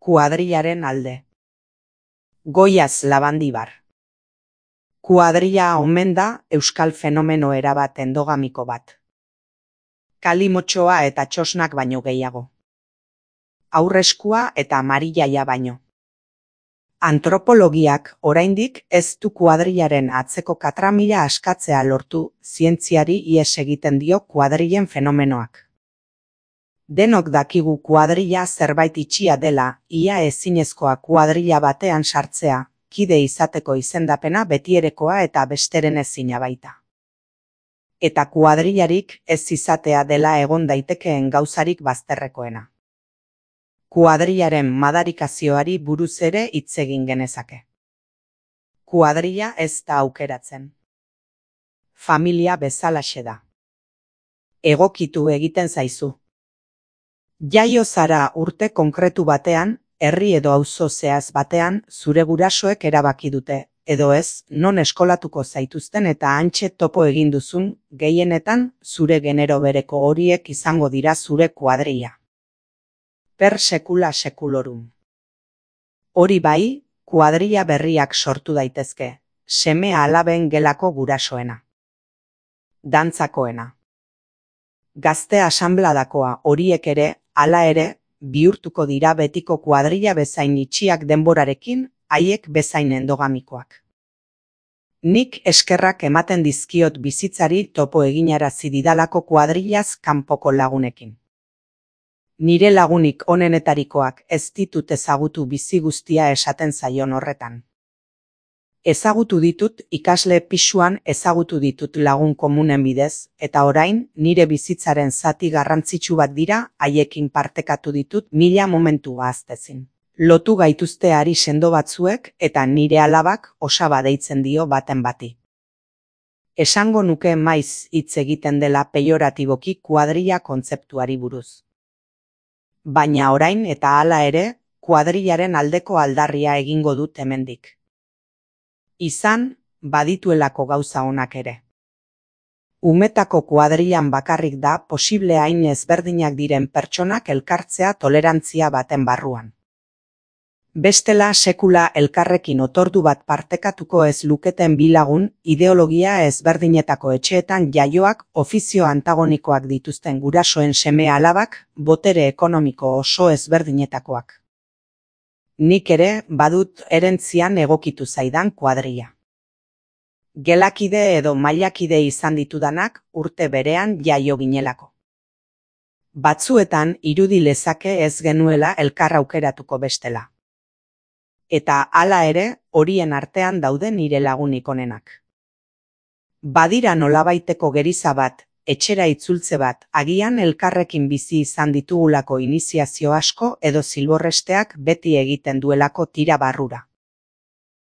Kuadrillaren alde. Goiaz Labandibar. Kuadrilla omen da euskal fenomeno erabat endogamiko bat. Kalimotxoa eta txosnak baino gehiago. Aurreskua eta marillaia baino. Antropologiak oraindik ez du kuadrillaren atzeko katramila askatzea lortu, zientziari ihes egiten dio kuadrillen fenomenoak. Denok dakigu kuadrilla zerbait itxia dela, ia ezinezkoa kuadrilla batean sartzea, kide izateko izendapena betierekoa eta besteren ezina baita. Eta kuadrillarik ez izatea dela egon daitekeen gauzarik bazterrekoena. Kuadrillaren madarikazioari buruz ere hitz egin genezake. Kuadrilla ez da aukeratzen. Familia bezalaxe da. Egokitu egiten zaizu. Jaio zara urte konkretu batean, herri edo auzo zehaz batean, zure gurasoek erabaki dute, edo ez, non eskolatuko zaituzten eta hantxe topo egin duzun, gehienetan, zure genero bereko horiek izango dira zure kuadrilla. Per sekula sekulorum. Hori bai, kuadrilla berriak sortu daitezke, seme alaben gelako gurasoena. Dantzakoena. Gazte asanbladakoa horiek ere, hala ere, bihurtuko dira betiko kuadrilla bezain itxiak denborarekin, haiek bezain endogamikoak. Nik eskerrak ematen dizkiot bizitzari topo eginarazi didalako kuadrillaz kanpoko lagunekin. Nire lagunik onenetarikoak ez ditut ezagutu bizi guztia esaten zaion horretan. Ezagutu ditut ikasle pisuan, ezagutu ditut lagun komunen bidez, eta orain nire bizitzaren zati garrantzitsu bat dira, haiekin partekatu ditut mila momentu ahaztezin. Lotu gaituzte ari sendo batzuek eta nire alabak osaba deitzen dio baten bati. Esango nuke maiz hitz egiten dela peioratiboki kuadrilla kontzeptuari buruz. Baina orain eta hala ere, kuadrillaren aldeko aldarria egingo dut hemendik. Izan, badituelako gauza onak ere. Umetako kuadrillan bakarrik da posible hain ezberdinak diren pertsonak elkartzea tolerantzia baten barruan. Bestela sekula elkarrekin otordu bat partekatuko ez luketen bi lagun, ideologia ezberdinetako etxeetan jaioak, ofizio antagonikoak dituzten gurasoen seme alabak, botere ekonomiko oso ezberdinetakoak. Nik ere badut erentzian egokitu zaidan kuadrilla. Gelakide edo mailakide izan ditudanak urte berean jaio ginelako. Batzuetan irudi lezake ez genuela elkar aukeratuko bestela. Eta hala ere, horien artean daude nire lagunik onenak. Badira nolabaiteko geriza bat, etxera itzultze bat, agian elkarrekin bizi izan ditugulako iniziazio asko edo zilborresteak beti egiten duelako tira barrura.